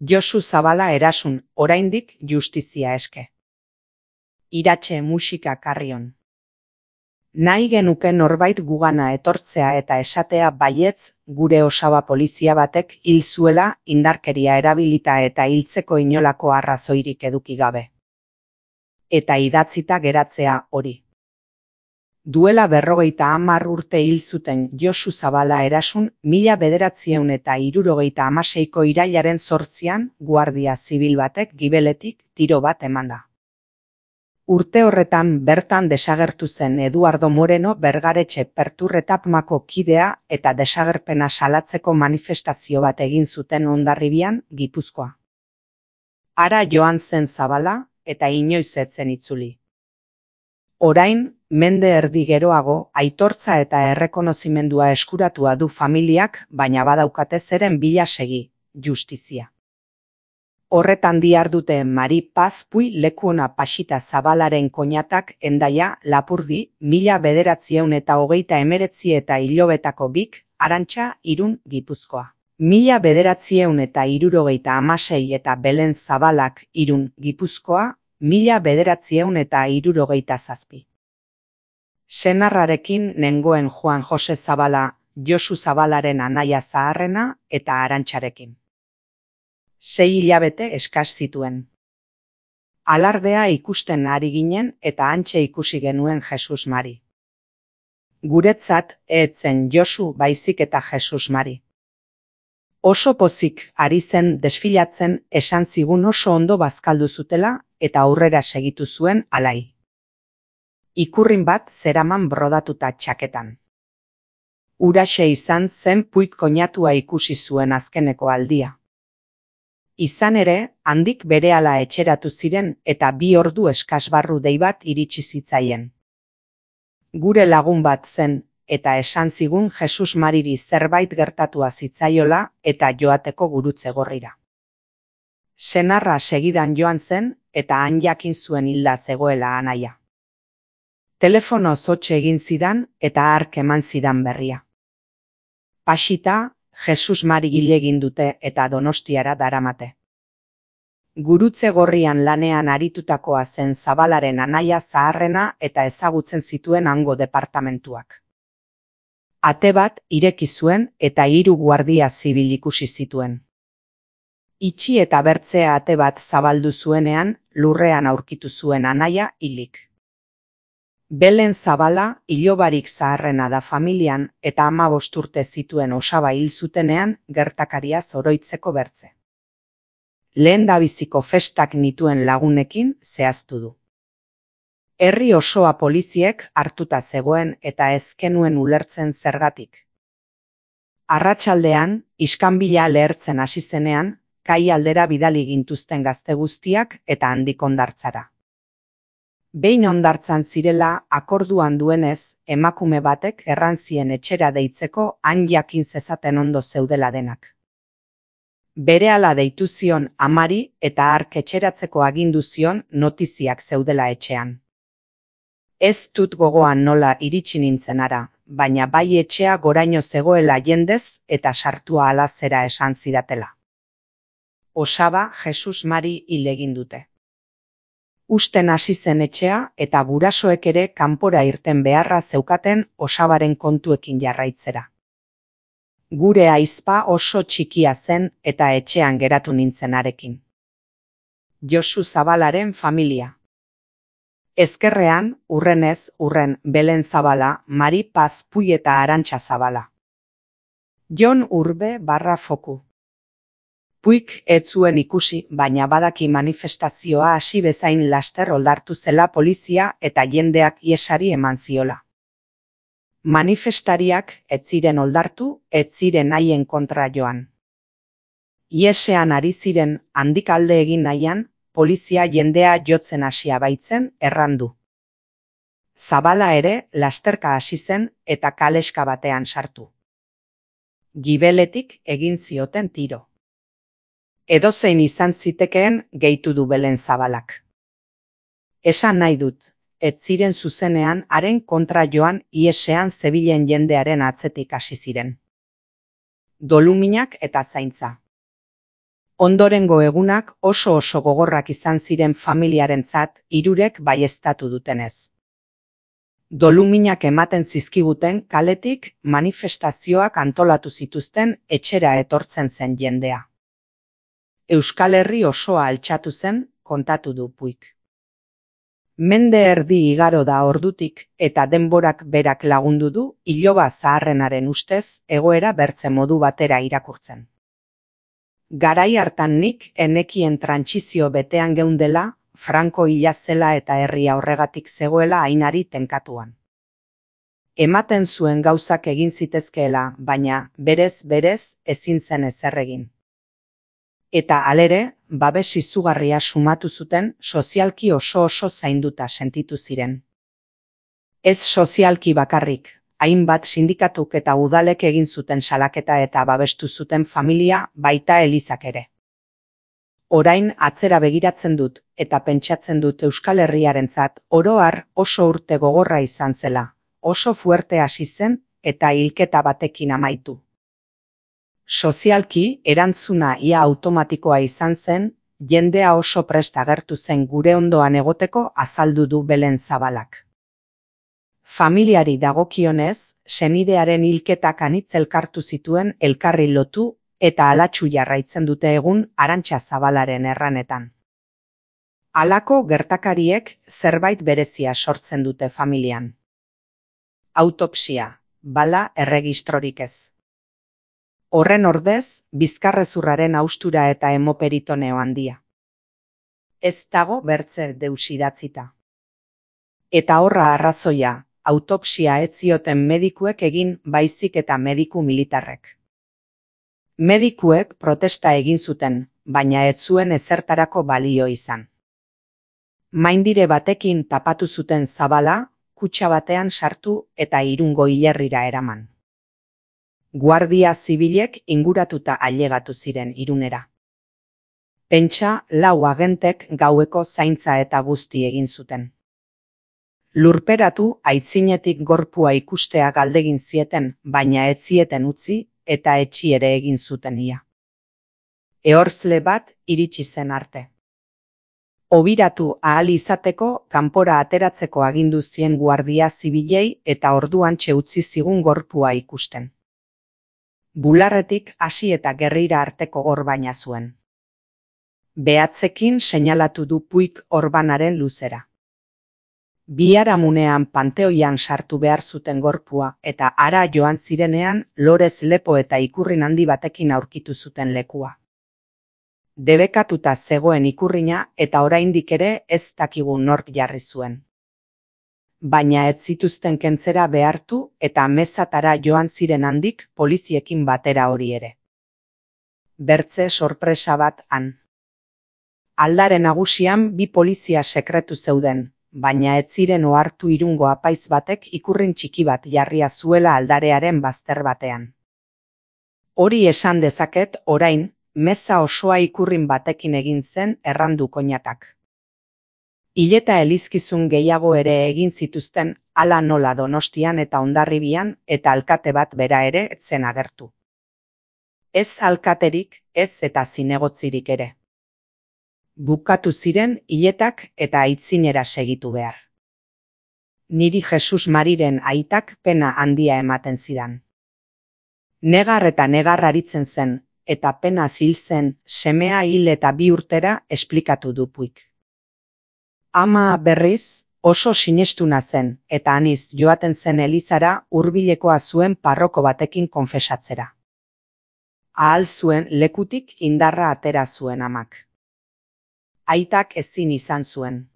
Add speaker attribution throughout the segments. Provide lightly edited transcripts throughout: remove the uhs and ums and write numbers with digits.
Speaker 1: Josu Zabala erasun, oraindik justizia eske. Iratxe musika karrion. Nahi genuke norbait gugana etortzea eta esatea baietz, gure osaba polizia batek hil zuela indarkeria erabilita eta hiltzeko inolako arrazoirik eduki gabe. Eta idatzita geratzea hori. Duela 50 urte hil zuten Josu Zabala erasun 1976ko irailaren 8an Guardia Zibil batek gibeletik tiro bat emanda. Urte horretan bertan desagertu zen Eduardo Moreno Bergaretxe Perturretapmako kidea eta desagerpena salatzeko manifestazio bat egin zuten Hondarribian, Gipuzkoa. Hara joan zen Zabala eta inoiz ez zen itzuli. Orain, mende erdi geroago, aitortza eta errekonozimendua eskuratua du familiak, baina badaukate zeren bila segi, justizia. Horretan dihardute Mari Paz Puy Lekuona Pasita Zabalaren koñatak Hendaia, Lapurdi, 1929 eta Ilobetako Bik, Arantxa, Irun, Gipuzkoa. 1976 eta Belen Zabalak, Irun, Gipuzkoa, 1977. Senarrarekin nengoen Juan Jose Zabala, Josu Zabalaren anaia zaharrena eta Arantxarekin. 6 hilabete eskas zituen. Alardea ikusten ari ginen eta hantxe ikusi genuen Jesus Mari. Guretzat ez zen Josu baizik eta Jesus Mari. Oso pozik ari zen desfilatzen esan zigun oso ondo bazkaldu zutela eta aurrera segitu zuen alai. Ikurrin bat zeraman brodatuta txaketan. Huraxe izan zen Puig koñatua ikusi zuen azkeneko aldia. Izan ere, handik berehala etxeratu ziren eta 2 ordu eskasbarru dei bat iritsi zitzaien. Gure lagun bat zen eta esan zigun Jesus Mariri zerbait gertatua zitzaiola eta joateko gurutze gorrira. Senarra segidan joan zen eta han jakin zuen hilda zegoela anaia. Telefonoz hotxe egin zidan eta hark eman zidan berria. Pasita, Jesus Mari hil egin dute eta Donostiara daramate. Gurutze gorrian lanean aritutakoa zen Zabalaren anaia zaharrena eta ezagutzen zituen hango departamentuak. Ate bat ireki zuen eta 3 guardia zibil ikusi zituen. Itxi eta bertzea ate bat zabaldu zuenean, lurrean aurkitu zuen anaia hilik. Belen Zabala ilobarik zaharrena da familian eta 15 urte zituen osaba hil zutenean gertakaria oroitzeko bertze. Lehendabiziko festak nituen lagunekin zehaztu du. Herri osoa poliziek hartuta zegoen eta ez genuen ulertzen zergatik. Arratsaldean, iskanbila lehertzen hasi zenean, kai aldera bidali gintuzten gazte guztiak eta handik hondartzara. Behin hondartzan zirela akorduan duenez, emakume batek erran zien etxera deitzeko han jakin zezaten ondo zeudela denak. Berehala deitu zion amari eta hark etxeratzeko agindu zion notiziak zeudela etxean. Ez dut gogoan nola iritsi nintzen ara, baina bai etxea goraino zegoela jendez eta sartua ala zera esan zidatela. Osaba Jesus Mari hil egin dute. Usten hasi zen etxea eta gurasoek ere kanpora irten beharra zeukaten osabaren kontuekin jarraitzera. Gure aizpa oso txikia zen eta etxean geratu nintzen arekin. Josu Zabalaren familia. Ezkerrean, urrenez, Belen Zabala, Mari Paz Puy eta Arantxa Zabala. Jon Urbe /Foku. Puig ez zuen ikusi, baina badaki manifestazioa hasi bezain laster oldartu zela polizia eta jendeak iesari eman ziola. Manifestariak ez ziren oldartu, ez ziren haien kontra joan. Iesean ari ziren handik alde egin nahian, polizia jendea jotzen hasia baitzen errandu. Zabala ere lasterka hasi zen eta kaleska batean sartu. Gibeletik egin zioten tiro. Edozein izan zitekeen gehitu du Belen Zabalak. Esan nahi dut, ez ziren zuzenean haren kontra joan iesean zebilen jendearen atzetik hasi ziren. Doluminak eta zaintza. Ondorengo egunak oso gogorrak izan ziren familiarentzat, hirurek baieztatu dutenez. Doluminak ematen zizkiguten kaletik manifestazioak antolatu zituzten etxera etortzen zen jendea. Euskal Herri osoa altxatu zen, kontatu du Puig. Mende erdi igaro da ordutik eta denborak berak lagundu du iloba zaharrenaren ustez egoera bertze modu batera irakurtzen. Garai hartan nik enekien trantsizio betean geundela, Franco hila zela eta herria horregatik zegoela ainari tenkatuan. Ematen zuen gauzak egin zitezkeela, baina berez ezin zen ezer egin. Eta halere, babes izugarria sumatu zuten sozialki oso zainduta sentitu ziren. Ez sozialki bakarrik, hainbat sindikatuk eta udalek egin zuten salaketa eta babestu zuten familia baita elizak ere. Orain atzera begiratzen dut eta pentsatzen dut Euskal Herriarentzat oro har oso urte gogorra izan zela, oso fuerte hasi zen eta hilketa batekin amaitu. Sozialki, erantzuna ia automatikoa izan zen, jendea oso prest agertu zen gure ondoan egoteko azaldu du Belen Zabalak. Familiari dagokionez, senidearen hilketak anitz elkartu zituen elkarri lotu eta alatsu jarraitzen dute egun Arantxa Zabalaren erranetan. Halako gertakariek zerbait berezia sortzen dute familian. Autopsia, bala erregistrorik ez. Horren ordez, bizkarrezurraren haustura eta hemoperitoneo handia. Ez dago bertze deus idatzita. Eta horra arrazoia, autopsia ez zioten medikuek egin baizik eta mediku militarrek. Medikuek protesta egin zuten, baina ez zuen ezertarako balio izan. Maindire batekin tapatu zuten Zabala, kutxa batean sartu eta Irungo hilerrira eraman. Guardia zibilek inguratuta ailegatu ziren Irunera. Pentsa 4 agentek gaueko zaintza eta guzti egin zuten. Lurperatu aitzinetik gorpua ikustea galdegin zieten, baina ez zieten utzi eta etxi ere egin zuten ia. Ehorzle bat iritsi zen arte. Obiratu ahal izateko kanpora ateratzeko agindu zien guardia zibilei eta orduantxe utzi zigun gorpua ikusten. Bularretik hasi eta gerrira arteko gorbaina zuen. Behatzekin seinalatu du Puig orbanaren luzera. Biharamunean panteoian sartu behar zuten gorpua eta hara joan zirenean lorez lepo eta ikurrin handi batekin aurkitu zuten lekua. Debekatuta zegoen ikurrina eta oraindik ere ez dakigu nork jarri zuen. Baina ez zituzten kentzera behartu eta mezatara joan ziren handik poliziekin batera hori ere. Bertze sorpresa bat han. Aldare nagusian 2 polizia sekretu zeuden, baina ez ziren ohartu Irungo apaiz batek ikurrin txiki bat jarria zuela aldarearen bazter batean. Hori esan dezaket orain, meza osoa ikurrin batekin egin zen errandu koinatak. Hileta elizkizun gehiago ere egin zituzten hala nola Donostian eta Hondarribian eta alkate bat bera ere ez zen agertu. Ez alkaterik, ez eta zinegotzirik ere. Bukatu ziren hiletak eta aitzinera segitu behar. Niri Jesus Mariren aitak pena handia ematen zidan. Negar eta negar aritzen zen, eta pena hil zen, semea hil eta 2 urtera esplikatu du Puig. Ama berriz, oso sinestuna zen, eta aniz joaten zen elizara hurbilekoa zuen parroko batekin konfesatzera. Ahal zuen lekutik indarra atera zuen amak. Aitak ezin izan zuen.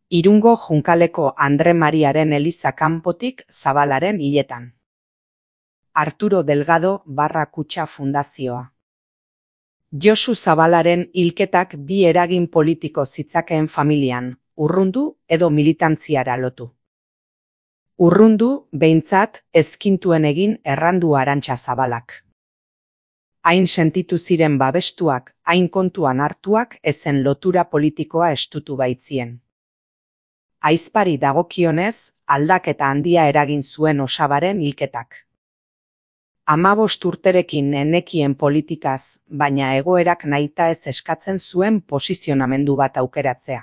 Speaker 1: Irungo Junkaleko Andre Mariaren eliza kanpotik Zabalaren hiletan. Arturo Delgado barra Kutxa Fundazioa. Josu Zabalaren hilketak 2 eragin politiko zitzakeen familian, urrundu edo militantziara lotu. Urrundu, behintzat, ezkintuen egin errandu Arantxa Zabalak. Hain sentitu ziren babestuak, hain kontuan hartuak ezen lotura politikoa estutu baitzien. Ahizpari dagokionez, aldaketa handia eragin zuen Osabaren hilketak. 15 urterekin nenekien politikaz, baina egoerak nahitaez eskatzen zuen posizionamendu bat aukeratzea.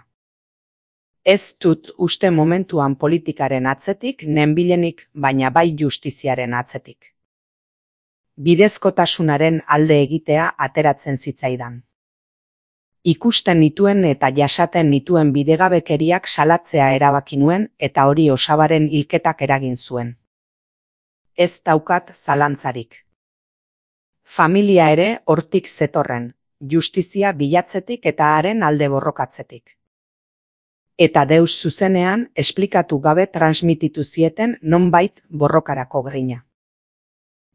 Speaker 1: Ez dut uste momentuan politikaren atzetik, nenbilenik, baina bai justiziaren atzetik. Bidezkotasunaren alde egitea ateratzen zitzaidan. Ikusten nituen eta jasaten nituen bidegabekeriak salatzea erabaki nuen eta hori Osabaren hilketak eragin zuen. Ez daukat zalantzarik. Familia ere hortik zetorren, justizia bilatzetik eta haren alde borrokatzetik. Eta deus zuzenean esplikatu gabe transmititu zieten nonbait borrokarako grina.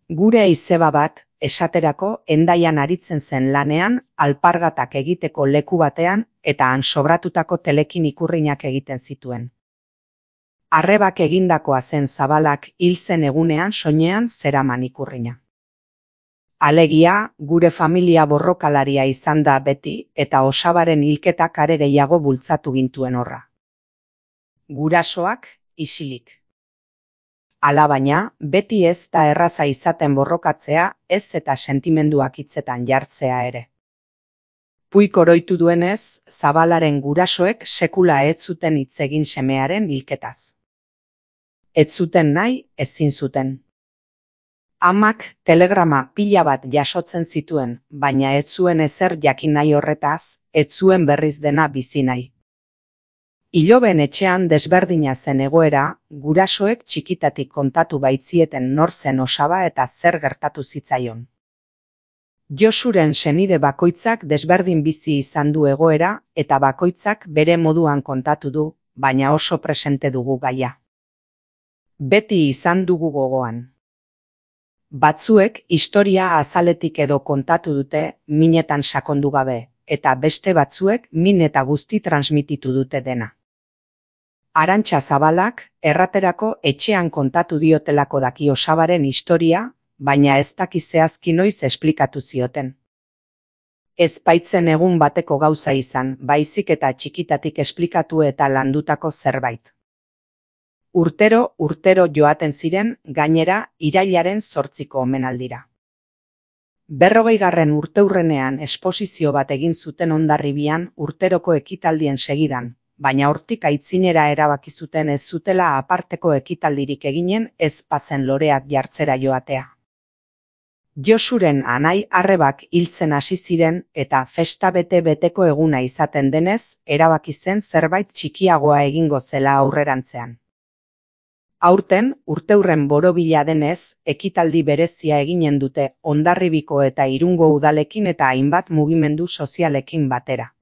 Speaker 1: Gure izeba bat, esaterako, Hendaian aritzen zen lanean, alpargatak egiteko leku batean eta han sobratutako telekin ikurrinak egiten zituen. Arrebak egindakoa zen Zabalak hil zen egunean soinean zeraman ikurrina. Alegia, gure familia borrokalaria izan da beti eta Osabaren hilketak are gehiago bultzatu gintuen horra. Gurasoak isilik. Alabaina, beti ez da erraza izaten borrokatzea, ez eta sentimenduak hitzetan jartzea ere. Puik oroitu duenez, Zabalaren gurasoek sekula ez zuten hitz egin semearen hilketaz. Ez zuten nahi, ezin zuten. Amak telegrama pila bat jasotzen zituen, baina ez zuen ezer jakin nahi horretaz, ez zuen berriz dena bizi nahi. Iloben etxean desberdina zen egoera, gurasoek txikitatik kontatu baitzieten nor zen Osaba eta zer gertatu zitzaion. Josuren senide bakoitzak desberdin bizi izan du egoera eta bakoitzak bere moduan kontatu du, baina oso presente dugu gaia. Beti izan dugu gogoan. Batzuek historia azaletik edo kontatu dute minetan sakondu gabe, eta beste batzuek min eta guzti transmititu dute dena. Arantxa Zabalak erraterako etxean kontatu diotelako daki Osabaren historia, baina ez daki zehazki noiz esplikatu zioten. Ez baitzen egun bateko gauza izan, baizik eta txikitatik esplikatu eta landutako zerbait. Urtero joaten ziren, gainera, irailaren 8ko omenaldira. 40. urteurrenean esposizio bat egin zuten Hondarribian urteroko ekitaldien segidan, baina hortik aitzinera erabaki zuten ez zutela aparteko ekitaldirik eginen ez bazen loreak jartzera joatea. Josuren anai arrebak hiltzen hasi ziren eta festa bete-beteko eguna izaten denez, erabaki zen zerbait txikiagoa egingo zela aurrerantzean. Aurten, urteurren borobila denez, ekitaldi berezia eginen dute Hondarribiko eta Irungo udalekin eta hainbat mugimendu sozialekin batera.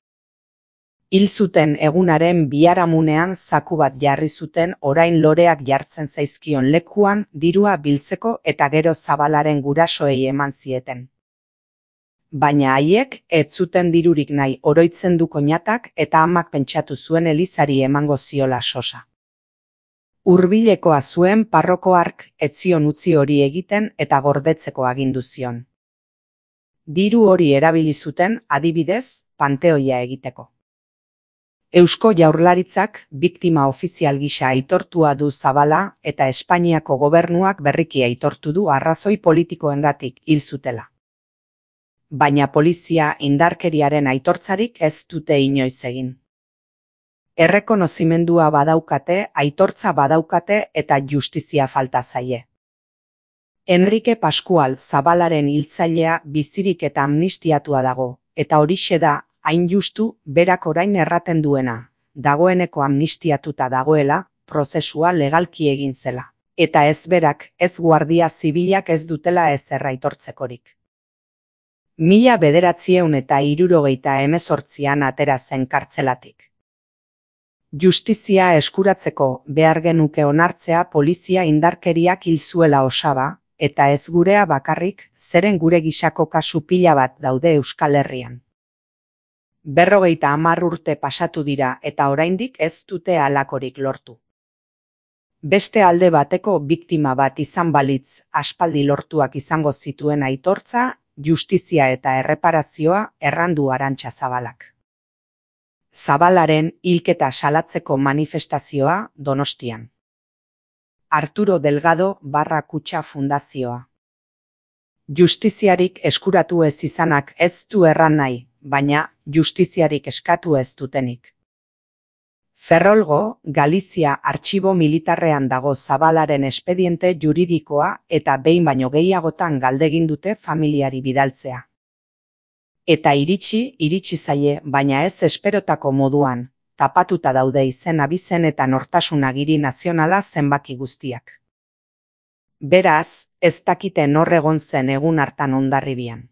Speaker 1: Hil zuten egunaren biharamunean zaku bat jarri zuten orain loreak jartzen zaizkion lekuan dirua biltzeko eta gero Zabalaren gurasoei eman zieten. Baina haiek ez zuten dirurik nahi oroitzen du koñatak eta amak pentsatu zuen elizari emango ziola sosa. Hurbilekoa zuen parroko hark ez zion utzi hori egiten eta gordetzeko agindu zion. Diru hori erabili zuten, adibidez, panteoia egiteko. Eusko Jaurlaritzak biktima ofizial gisa aitortua du Zabala eta Espainiako gobernuak berriki aitortu du arrazoi politikoengatik hil zutela. Baina polizia indarkeriaren aitortzarik ez dute inoiz egin. Errekonozimendua badaukate, aitortza badaukate eta justizia falta zaie. Enrique Pascual Zabalaren hiltzailea bizirik eta amnistiatua dago, eta horixe da, hain justu, berak orain erraten duena, dagoeneko amnistiatuta dagoela, prozesua legalki egin zela. Eta ez berak, ez guardia zibilak ez dutela ezer aitortzekorik. 1978an atera zen kartzelatik. Justizia eskuratzeko behar genuke onartzea polizia indarkeriak hil zuela Osaba, eta ez gurea bakarrik, zeren gure gisako kasu pila bat daude Euskal Herrian. 50 urte pasatu dira eta oraindik ez dute halakorik lortu. Beste alde bateko biktima bat izan balitz aspaldi lortuak izango zituen aitortza, justizia eta erreparazioa errandu Arantxa Zabalak. Zabalaren hilketa salatzeko manifestazioa Donostian. Arturo Delgado / Kutxa Fundazioa. Justiziarik eskuratu ez izanak ez du erran nahi, baina justiziarik eskatu ez dutenik. Ferrolgo, Galizia artxibo militarrean dago Zabalaren espediente juridikoa eta behin baino gehiagotan galdegin dute familiari bidaltzea. Eta iritsi zaie, baina ez esperotako moduan, tapatuta daude izen abizen eta nortasun agiri nazionala zenbaki guztiak. Beraz, ez dakite nor egon zen egun hartan Hondarribian.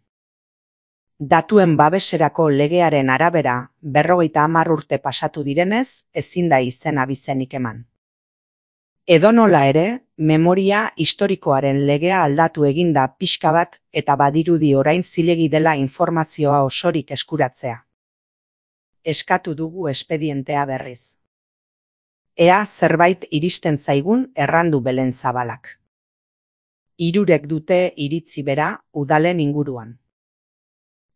Speaker 1: Datuen babeserako legearen arabera, 50 urte pasatu direnez, ezin da izen abizenik eman. Edonola ere, memoria historikoaren legea aldatu eginda pixka bat eta badirudi orain zilegi dela informazioa osorik eskuratzea. Eskatu dugu espedientea berriz. Ea zerbait iristen zaigun errandu Belen Zabalak. 3 dute iritzi bera udalen inguruan.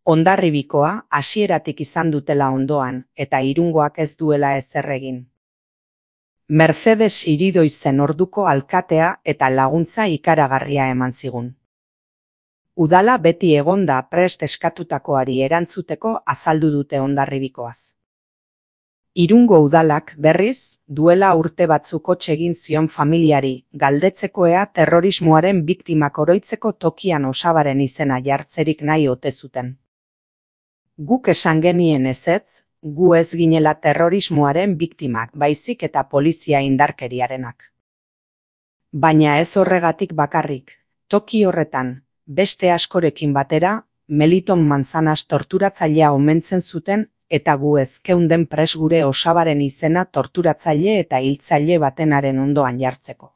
Speaker 1: Hondarribikoa hasieratik izan dutela ondoan eta Irungoak ez duela ezer egin. Mercedes Iridoizen orduko alkatea eta laguntza ikaragarria eman zigun. Udala beti egonda prest eskatutakoari erantzuteko azaldu dute Hondarribikoaz. Irungo udalak berriz, duela urte batzuk hots egin zion familiari, galdetzeko ea terrorismoaren biktimak oroitzeko tokian osabaren izena jartzerik nahi ote zuten. Guk esan genien ezetz, gu ez ginela terrorismoaren biktimak baizik eta polizia indarkeriarenak. Baina ez horregatik bakarrik, toki horretan, beste askorekin batera, Meliton Manzanas torturatzailea omentzen zuten eta gu ez geunden pres gure osabaren izena torturatzaile eta hiltzaile batenaren ondoan jartzeko.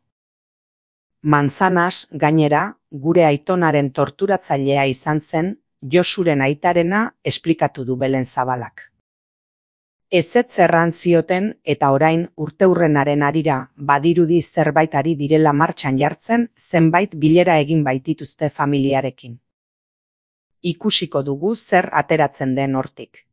Speaker 1: Manzanas, gainera, gure aitonaren torturatzailea izan zen, Josuren aitarena esplikatu du Belen Zabalak. Ezetz erran zioten eta orain urteurrenaren harira badirudi zerbait ari direla martxan jartzen zenbait bilera egin baitituzte familiarekin. Ikusiko dugu zer ateratzen den hortik.